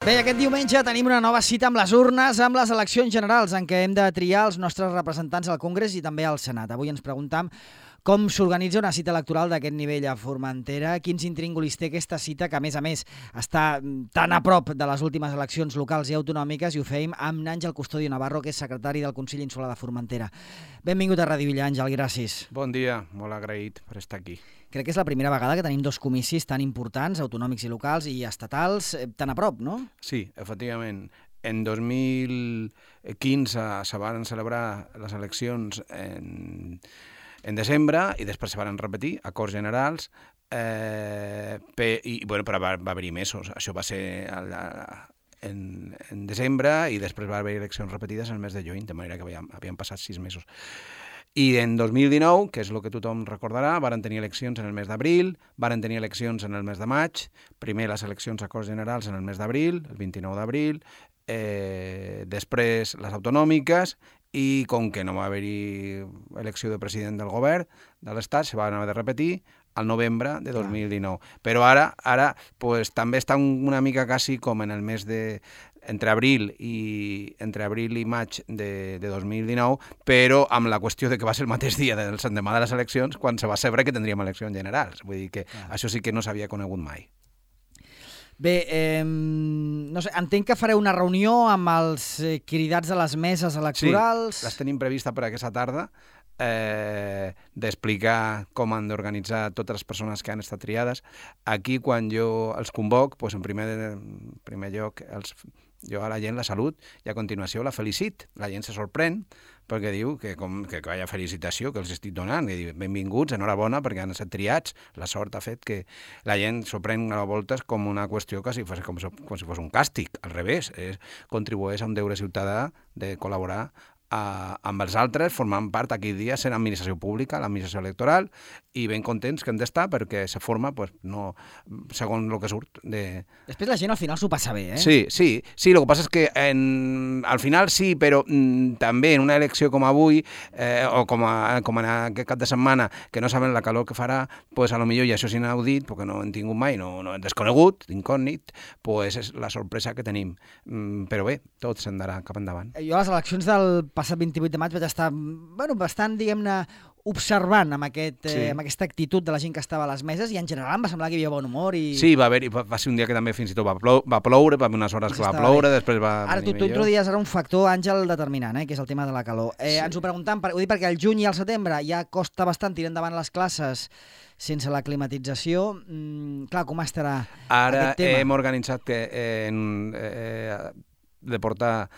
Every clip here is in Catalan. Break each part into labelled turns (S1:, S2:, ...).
S1: Bé, aquest diumenge tenim una nova cita amb les urnes, amb les eleccions generals, en què hem de triar els nostres representants al Congrés i també al Senat. Avui ens preguntam com s'organitza una cita electoral d'aquest nivell a Formentera, quins intríngulis té aquesta cita, que a més està tan a prop de les últimes eleccions locals i autonòmiques, i ho fèiem amb Àngel Custodio Navarro, que és secretari del Consell Insular de Formentera. Benvingut a Ràdio Villa, Àngel, gràcies.
S2: Bon dia, molt agraït per estar aquí.
S1: Crec que és la primera vegada que tenim dos comicis tan importants, autonòmics i locals i estatals, tan a prop, no?
S2: Sí, efectivament. En 2015 se van celebrar les eleccions en desembre i després se van repetir acords generals, però va haver-hi mesos. Això va ser en desembre i després va haver eleccions repetides en el mes de juny, de manera que havien passat 6 mesos. I en 2019, que és el que tothom recordarà, varen tenir eleccions en el mes d'abril, varen tenir eleccions en el mes de maig, primer les eleccions a Corts Generals en el mes d'abril, el 29 d'abril, després les autonòmiques, i com que no va haver-hi elecció de president del govern de l'Estat, se van haver de repetir al novembre de 2019. Però ara pues, també està una mica quasi com en el mes de... entre abril i maig de 2019, però amb la qüestió de que va ser el mateix dia del l'endemà de les eleccions quan se va saber que tindríem eleccions generals. Vull dir que això sí que no s'havia conegut mai.
S1: Bé, no sé, entenc que fareu una reunió amb els cridats de les meses electorals.
S2: Sí, les tenim prevista per aquesta tarda, d'explicar com han d'organitzar totes les persones que han estat triades. Aquí, quan jo els convoc, doncs en primer lloc jo a la gent la salut i a continuació la felicit. La gent se sorprèn perquè diu que hi ha felicitació que els estic donant, que diu benvinguts, enhorabona perquè han estat triats. La sort ha fet que la gent s'ho pren a voltes com una qüestió que com si fos un càstig. Al revés, contribueix a un deure ciutadà de col·laborar amb els altres, formant part aquell dia sent administració pública, l'administració electoral, i ben contents que hem d'estar perquè se forma, pues, no, segons el que surt.
S1: Després la gent al final s'ho passa bé, eh?
S2: Sí, el que passa és que al final sí, però també en una elecció com avui, o com en aquest cap de setmana, que no saben la calor que farà, pues, a lo millor, i això és inaudit, perquè no hem tingut mai, no hem desconegut, incògnit, pues és la sorpresa que tenim. Però bé, tot s'andarà cap endavant.
S1: Jo a les eleccions del passat 28 de maig vaig estar bastant, diguem-ne, observant amb aquesta actitud de la gent que estava a les meses i en general em va semblar que hi havia bon humor.
S2: Sí, va ser un dia que també fins i tot va ploure, va haver unes hores que va ploure, després va
S1: venir millor. Ara tu introduïes un factor, Àngel, determinant, que és el tema de la calor. Ens ho preguntem, ho dic perquè al juny i al setembre ja costa bastant tirar endavant les classes sense la climatització. Clar, com estarà
S2: ara
S1: aquest tema?
S2: Hem organitzat de portar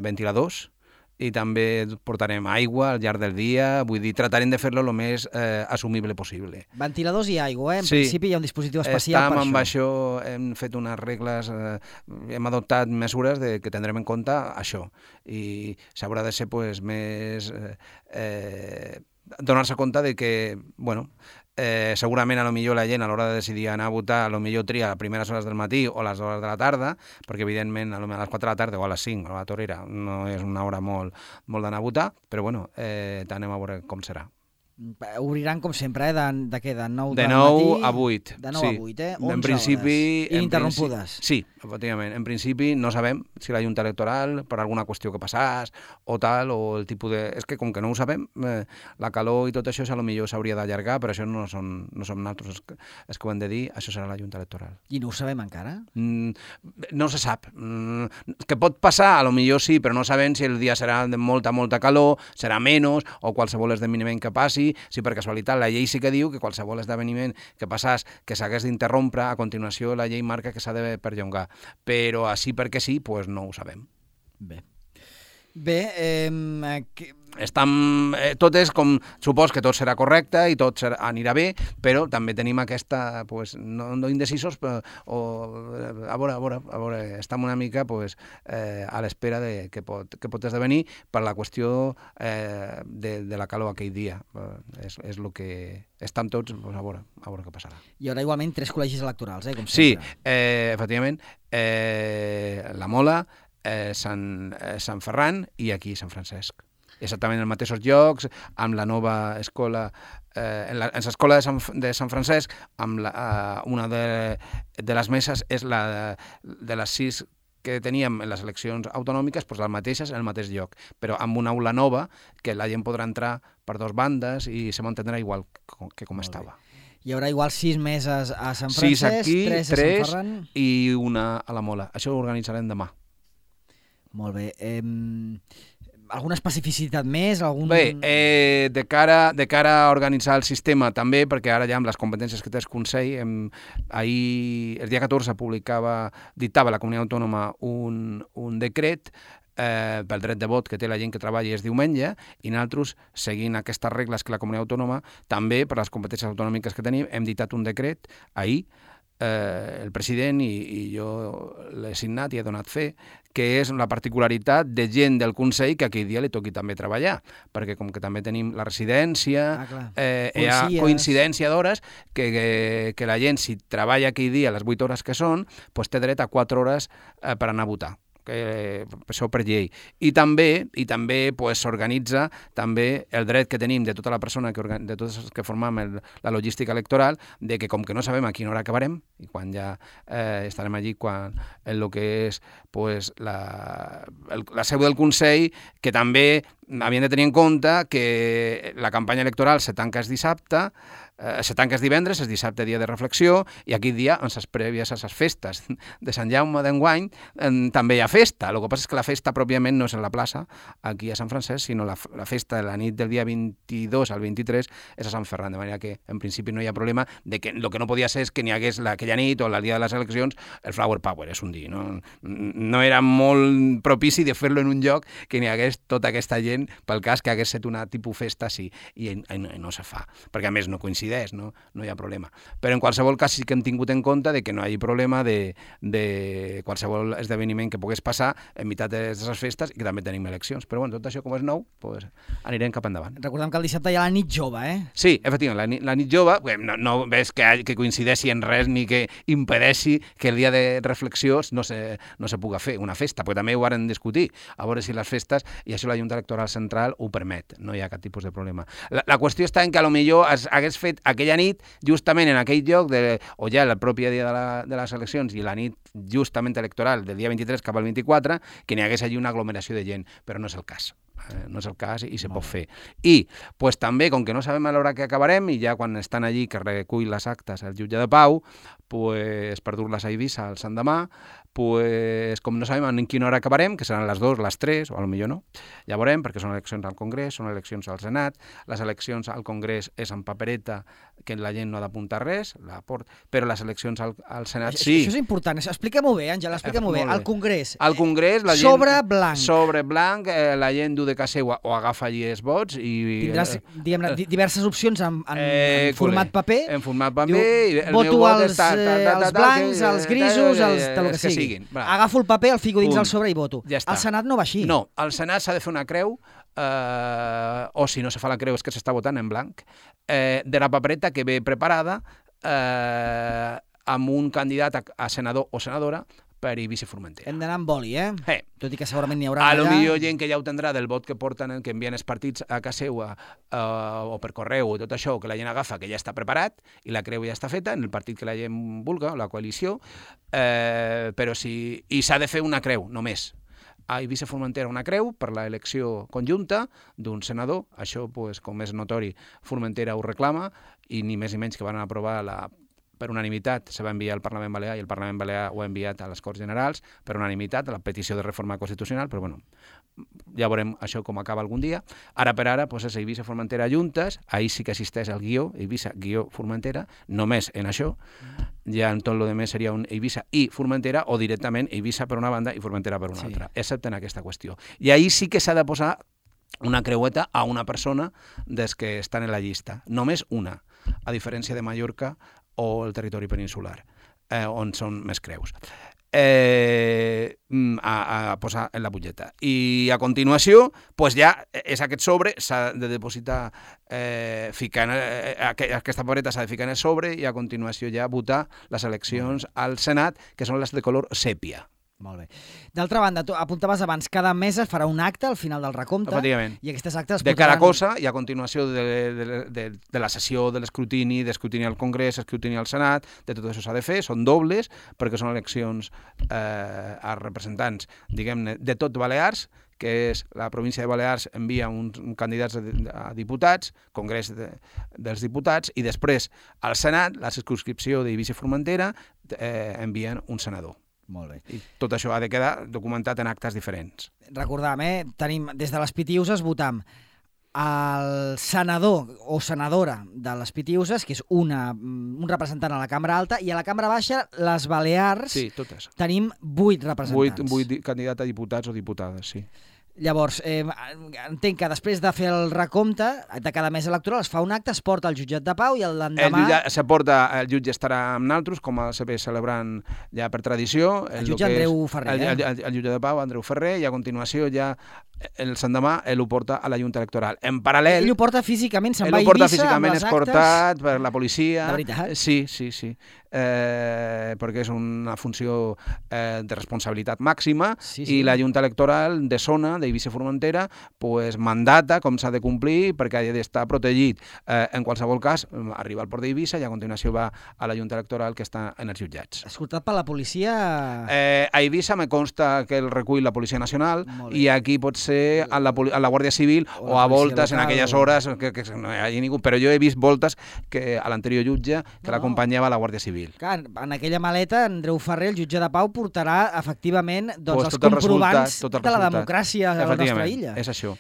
S2: ventiladors, i també portarem aigua al llarg del dia, vull dir, tratarem de fer-lo el més assumible possible.
S1: Ventiladors i aigua, En principi hi ha un dispositiu especial per això.
S2: Amb això hem fet unes regles, hem adoptat mesures que tindrem en compte això, i s'haurà de ser més... donar-se compte de que, segurament a lo millor la gent a l'hora de decidir anar a votar a lo millor tria a primeres hores del matí o a les hores de la tarda, perquè evidentment a les 4 de la tarda o a les 5 a la torera no és una hora molt d'anar a votar, però anem a veure com serà.
S1: Obriran, com sempre, de què? De 9
S2: de
S1: del
S2: 9
S1: matí?
S2: a 8.
S1: De 9 a 8, 11
S2: en principi,
S1: hores. Ininterrompudes.
S2: Sí, efectivament. En principi no sabem si la Junta Electoral, per alguna qüestió que passàs, o tal, o el tipus de... És que com que no ho sabem, la calor i tot això a lo millor s'hauria d'allargar, però això no som nosaltres els que ho hem de dir, això serà la Junta Electoral.
S1: I no ho sabem encara?
S2: No se sap. Que pot passar, a lo millor sí, però no sabem si el dia serà de molta calor, serà menys, o qualsevol esdeveniment que passi. Si per casualitat la llei sí que diu que qualsevol esdeveniment que passàs que s'hagués d'interrompre, a continuació la llei marca que s'ha de perllongar. Però així perquè sí, doncs no ho sabem.
S1: Bé,
S2: tot és com... Supos que tot serà correcte i tot anirà bé, però també tenim aquesta... no indecisos, però a veure, estem una mica a l'espera de què pot esdevenir per la qüestió de la calor aquell dia. És el que... Estem tots a veure què passarà.
S1: Hi haurà igualment 3 col·legis electorals, com sempre.
S2: Sí, efectivament, la Mola, Sant Ferran i aquí Sant Francesc. exactament els mateixos llocs, amb la nova escola, en l'escola de Sant Francesc, amb una de les meses és la de les 6 que teníem en les eleccions autonòmiques, doncs les mateixes en el mateix lloc, però amb una aula nova que la gent podrà entrar per dos bandes i se mantindrà igual que com estava.
S1: Hi haurà igual 6 meses a Sant Francesc,
S2: 6 aquí,
S1: 3 a Sant Ferran
S2: i una a la Mola. Això ho organitzarem demà.
S1: Molt bé. Alguna especificitat més?
S2: Bé, de cara a organitzar el sistema també, perquè ara ja amb les competències que té el Consell, ahir, el dia 14, dictava la Comunitat Autònoma un decret pel dret de vot que té la gent que treballa és diumenge, i nosaltres, seguint aquestes regles que la Comunitat Autònoma, també per les competències autonòmiques que tenim, hem dictat un decret ahir, el president i jo l'he signat i he donat fe, que és la particularitat de gent del Consell que aquell dia li toqui també treballar, perquè com que també tenim la residència, hi ha coincidència d'hores, que la gent, si treballa aquell dia les 8 hores que són, doncs té dret a 4 hores per anar a votar. Això per llei. I també s'organitza també el dret que tenim de tota la persona, de tots els que formam la logística electoral, de que com que no sabem a quina hora acabarem, i quan ja estarem allí, quan el que és la seu del Consell, que també havien de tenir en compte que la campanya electoral se tanca el dissabte, se tanca el divendres, el dissabte dia de reflexió, i aquell dia, en les prèvies a les festes de Sant Jaume d'enguany, també hi ha festa. El que passa és que la festa pròpiament no és en la plaça, aquí a Sant Francesc, sinó la festa de la nit del dia 22 al 23 és a Sant Ferran, de manera que en principi no hi ha problema de que el que no podia ser és que n'hi hagués aquella nit o el dia de les eleccions el Flower Power, és un dir, no era molt propici de fer-lo en un lloc que n'hi hagués tota aquesta gent pel cas que hagués estat una tipus festa, sí, i no se fa, perquè a més no coincideix, no hi ha problema. Però en qualsevol cas sí que hem tingut en compte de que no hi hagi problema de qualsevol esdeveniment que pogués passar en meitat de les festes i que també tenim eleccions. Però bueno, tot això com és nou, doncs anirem cap endavant.
S1: Recordem que el dissabte hi ha la nit jove,
S2: Sí, efectivament, la nit jove, no ves que coincideixi en res ni que impedeixi que el dia de reflexió no se puga fer una festa, perquè també ho varen discutir, a veure si les festes, i això la Junta Electoral Central ho permet, no hi ha cap tipus de problema. La qüestió està en que potser hagués fet aquella nit justament en aquell lloc, o ja el propi dia de les eleccions i la nit justament electoral del dia 23 cap al 24, que n'hi hagués allí una aglomeració de gent, però no és el cas. No és el cas i se pot fer. I pues, també, com que no sabem a l'hora que acabarem, i ja quan estan allí que recull les actes el jutge de pau, pues, per dur-les a Eivissa el Sant demà, pues, com no sabem en quina hora acabarem, que seran les 2, les 3, o potser no, ja veurem, perquè són eleccions al Congrés, són eleccions al Senat, les eleccions al Congrés és en papereta, que la gent no ha d'apuntar res, però les eleccions al Senat sí.
S1: Això és important, explica-ho bé, Àngel, explica-ho bé. Al Congrés,
S2: la gent,
S1: sobre
S2: blanc, la gent du de casa seva o agafa allí els vots i...
S1: Tindràs diverses opcions en format paper.
S2: En format paper.
S1: Voto als blancs, als grisos, als del que sigui. Agafo el paper, el fico dins el sobre i voto. Al Senat no va així.
S2: No, al Senat s'ha de fer una creu, o si no se fa la creu és que s'està votant en blanc, de la papereta que ve preparada amb un candidat a senador o senadora per Eivissa i Formentera.
S1: Hem d'anar amb boli, Tot i que segurament n'hi haurà
S2: allà. A lo millor gent que ja ho tindrà del vot que porten, que envien els partits a casa seva o per correu o tot això, que la gent agafa, que ja està preparat i la creu ja està feta en el partit que la gent vulga, la coalició, però sí, i s'ha de fer una creu, només. A Eivissa i Formentera una creu per l'elecció conjunta d'un senador, això, com és notori, Formentera ho reclama, i ni més ni menys que van aprovar per unanimitat, se va enviar al Parlament Balear i el Parlament Balear ho ha enviat a les Corts Generals per unanimitat, a la petició de reforma constitucional, però bueno, ja veurem això com acaba algun dia. Ara per ara, és Eivissa i Formentera juntes, ahir sí que existeix el guió, Eivissa-Formentera, només en això, ja en tot el que seria un Eivissa i Formentera, o directament Eivissa per una banda i Formentera per una altra, excepte en aquesta qüestió. I ahir sí que s'ha de posar una creueta a una persona des que estan en la llista, només una, a diferència de Mallorca o el territori peninsular, on són més creus. A posar en la butlleta. I a continuació, ja és aquest sobre, s'ha de depositar, aquesta papereta s'ha de ficar en el sobre i a continuació ja votar les eleccions al Senat, que són les de color sèpia.
S1: Molt bé. D'altra banda, tu apuntaves abans, cada mes es farà un acte al final del recompte.
S2: Efectivament.
S1: I aquestes actes
S2: de cada cosa i a continuació de la sessió de l'escrutini al Congrés, escrutini al Senat, de tot això s'ha de fer, són dobles perquè són eleccions a representants, diguem-ne, de tot Balears, que és la província de Balears envia uns candidats a diputats, Congrés dels Diputats, i després al Senat, la circumscripció d'Eivissa i Formentera, envien un senador.
S1: Molt bé.
S2: I tot això ha de quedar documentat en actes diferents.
S1: Recordam, tenim des de les Pitiuses votam el senador o senadora de les Pitiuses, que és un representant a la Cambra Alta, i a la Cambra Baixa, les Balears,
S2: sí, totes.
S1: Tenim 8 representants.
S2: 8 candidats a diputats o diputades, sí.
S1: Llavors, entenc que després de fer el recompte de cada mes electoral es fa un acte, es porta al jutjat de pau i l'endemà...
S2: El jutge estarà amb naltros, com se ve celebrant ja per tradició.
S1: El jutge Andreu Ferrer.
S2: El jutge de pau, Andreu Ferrer, i a continuació ja el l'endemà ho porta a la Junta Electoral. En paral·lel...
S1: Ell ho porta físicament, se'n va a Eivissa amb les actes...
S2: escortat per la policia.
S1: De veritat?
S2: Sí. Perquè és una funció de responsabilitat màxima i la Junta Electoral de zona d'Eivissa i Formentera mandata com s'ha de complir perquè ha d'estar protegit. En qualsevol cas, arriba al port d'Eivissa i a continuació va a la Junta Electoral que està en els jutjats.
S1: Escoltat per la policia...
S2: A Eivissa me consta que el recull la Policia Nacional i aquí pot ser a la Guàrdia Civil o a voltes en aquelles hores que no hi hagi ningú, però jo he vist voltes que a l'anterior jutge que l'acompanyava la Guàrdia Civil.
S1: Clar, en aquella maleta, Andreu Ferrer, el jutge de pau, portarà efectivament els comprovants de la democràcia a la nostra illa.
S2: És això.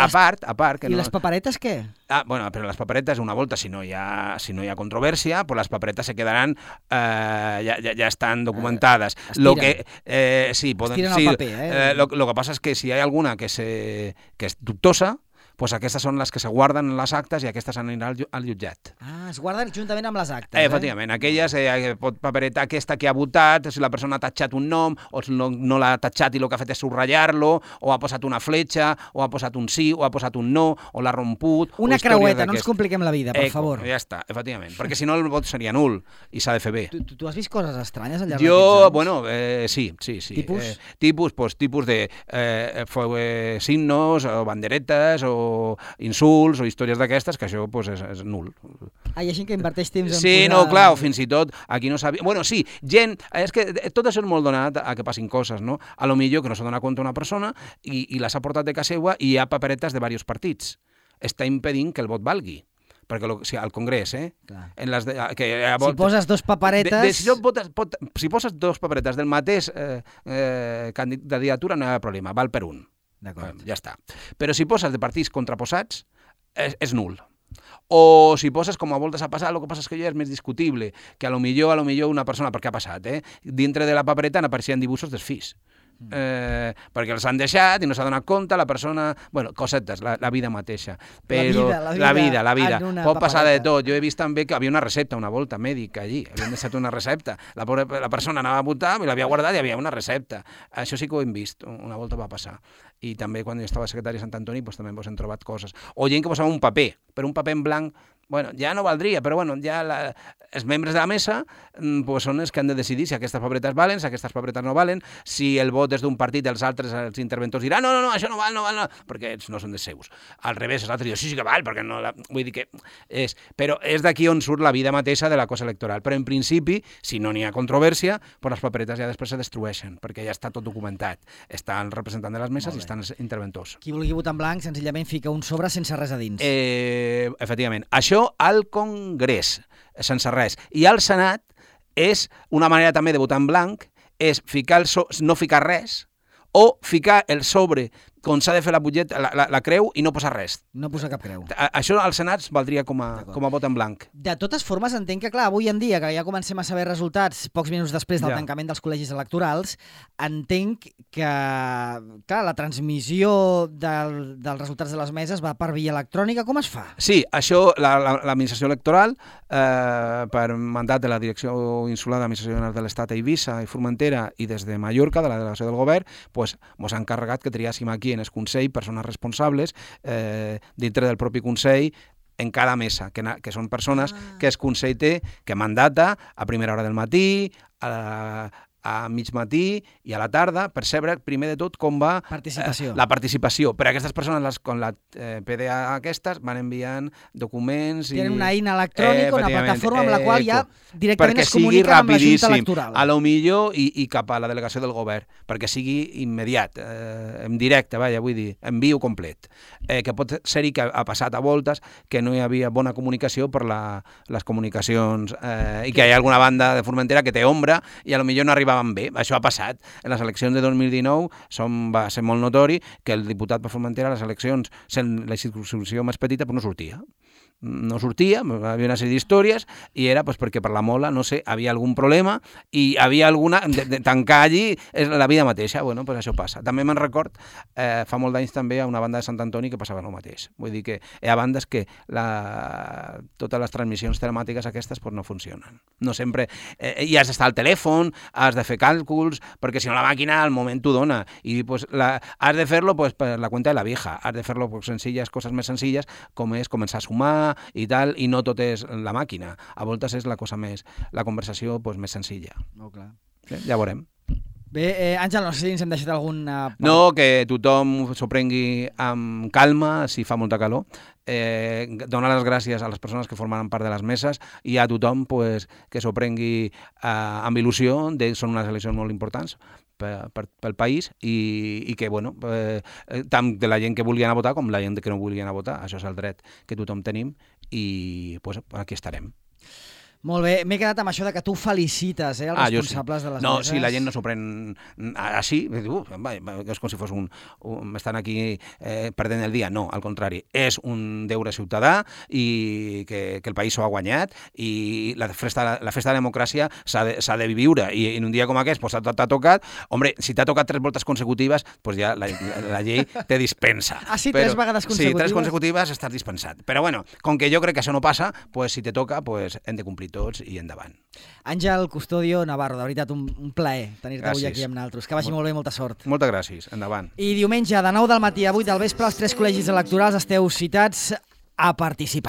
S2: A part...
S1: I les paperetes què?
S2: Però les paperetes, una volta, si no hi ha controvèrsia, pues les paperetes se quedaran, ja estan documentades.
S1: Estiren el paper.
S2: Lo que passa és que si hi ha alguna que és dubtosa, pues aquestes són les que se guarden en les actes i aquestes aniran al jutjat.
S1: Es guarden juntament amb les actes.
S2: Efectivament, aquelles pot paperetar aquesta que ha votat, si la persona ha tatxat un nom, o no l'ha tatxat i el que ha fet és subratllar-lo, o ha posat una fletxa, o ha posat un sí, o ha posat un no, o l'ha romput...
S1: Una creueta, no ens compliquem la vida, per favor.
S2: Ja està, efectivament, perquè si no el vot seria nul i s'ha de fer bé.
S1: Tu has vist coses estranyes al llarg d'aquests anys?
S2: Sí.
S1: Tipus?
S2: Tipus de signos, o banderetes, o insults o històries d'aquestes, que això és nul.
S1: Hi ha gent que inverteix temps en posar...
S2: Sí, no, clar, fins i tot aquí no sabia... Bueno, sí, gent... És que tot això és molt donat a que passin coses, no? A lo millor que no s'ha donat compte una persona i les ha portat de casa seva i hi ha paperetes de diversos partits. Està impedint que el vot valgui. Perquè al Congrés,
S1: si poses dos paperetes...
S2: Si poses dos paperetes del mateix candidatura no hi ha problema, val per un. Ja està. Però si poses de partits contraposats, és nul. O si poses, com a voltes ha passat, el que passa és que ja és més discutible, que a lo millor una persona, perquè ha passat, dintre de la papereta n'apareixien dibuixos dels fills. Perquè els han deixat i no s'ha donat compte, la persona... Bueno, cosetes, la vida mateixa. Però la vida. Pot passar de tot. Jo he vist també que havia una recepta, una volta mèdica allí. Havien deixat una recepta. La persona anava a votar i l'havia guardat i havia una recepta. Això sí que ho hem vist. Una volta va passar. I també quan jo estava secretari a Sant Antoni també hem trobat coses. O gent que posava un paper, però un paper en blanc, bueno, ja no valdria, però bueno, ja els membres de la mesa són els que han de decidir si aquestes paperetes valen, si aquestes paperetes no valen, si el vot és d'un partit, els altres, els interventors diran no, això no val, perquè ells no són dels seus. Al revés, els altres diuen sí que val, perquè no... Vull dir que és... Però és d'aquí on surt la vida mateixa de la cosa electoral. Però en principi, si no n'hi ha controvèrsia, pues les paperetes ja després se destrueixen, perquè ja està tot documentat. Està el representant de les meses i estan els interventors.
S1: Qui vulgui votar en blanc, senzillament fica un sobre sense res a dins.
S2: Efectivament. Això al Congrés, sense res. I al Senat és una manera també de votar en blanc, és no ficar res o ficar el sobre com s'ha de fer la creu i no posar res.
S1: No posar cap creu.
S2: Això al Senat valdria com a vot en blanc.
S1: De totes formes, entenc que, clar, avui en dia, que ja comencem a saber resultats pocs minuts després del tancament dels col·legis electorals, entenc que, clar, la transmissió dels resultats de les meses va per via electrònica. Com es fa?
S2: Sí, això, l'administració electoral, per mandat de la Direcció Insular d'Administració General de l'Estat a Eivissa i Formentera i des de Mallorca, de la delegació del govern, ens ha encarregat que triàssim aquí en el Consell persones responsables dintre del propi Consell en cada mesa, que són persones que el Consell té, que mandata a primera hora del matí, a mig matí i a la tarda, percebre primer de tot com va la participació. Per a aquestes persones, con la PDA aquestes, van enviant documents...
S1: Tenen una eina electrònica, una plataforma amb la qual ja directament es comuniquen amb la Junta Electoral.
S2: A lo millor i cap a la delegació del govern, perquè sigui immediat, en directe, vull dir, envio complet. Que pot ser-hi que ha passat a voltes que no hi havia bona comunicació per les comunicacions i que hi ha alguna banda de Formentera que té ombra i a lo millor no arribaven bé. Això ha passat. En les eleccions de 2019 va ser molt notori que el diputat per Formentera a les eleccions, sent la circumscripció més petita, no sortia. No sortia, havia una sèrie d'històries i era perquè per la Mola, no sé, havia algun problema i havia alguna... de tancar allí és la vida mateixa. Bueno, doncs això passa. També me'n record, fa molt d'anys també a una banda de Sant Antoni que passava el mateix. Vull dir que hi ha bandes que totes les transmissions telemàtiques aquestes no funcionen. No sempre... I has d'estar al telèfon, has de fer càlculs, perquè si no la màquina al moment t'ho dona. I has de fer-lo per la cuenta de la vieja. Has de fer-lo senzilles, coses més senzilles, com és començar a sumar i tal, i no tot és la màquina. A voltes és la conversació més senzilla.
S1: Oh, clar.
S2: Sí, ja veurem.
S1: Bé, Àngel, no sé si ens hem deixat alguna...
S2: No, que tothom s'ho prengui amb calma, si fa molta calor. Donar les gràcies a les persones que formaran part de les meses i a tothom que s'ho prengui amb il·lusió. Són unes eleccions molt importants pel país i que, bueno, tant de la gent que vulgui anar a votar com la gent que no vulgui anar a votar. Això és el dret que tothom tenim i aquí estarem.
S1: Molt bé, m'he quedat amb això de que tu felicites els responsables de les meses.
S2: No, si la gent no s'ho pren així, és com si fos estan aquí perdent el dia. No, al contrari, és un deure ciutadà i que el país s'ho ha guanyat i la festa de la democràcia s'ha de viure i en un dia com aquest t'ha tocat, hombre, si t'ha tocat 3 voltes consecutives, ja la llei te dispensa.
S1: Ah, sí, 3 vegades consecutives?
S2: Sí, 3 consecutives estàs dispensat. Però bueno, com que jo crec que això no passa, si te toca, hem de complir tots i endavant.
S1: Àngel Custodio Navarro, de veritat, un plaer tenir-te avui aquí amb nosaltres. Que vagi molt bé i molta sort.
S2: Moltes gràcies, endavant.
S1: I diumenge, de 9 del matí a 8 del vespre, els 3 col·legis electorals esteu citats a participar.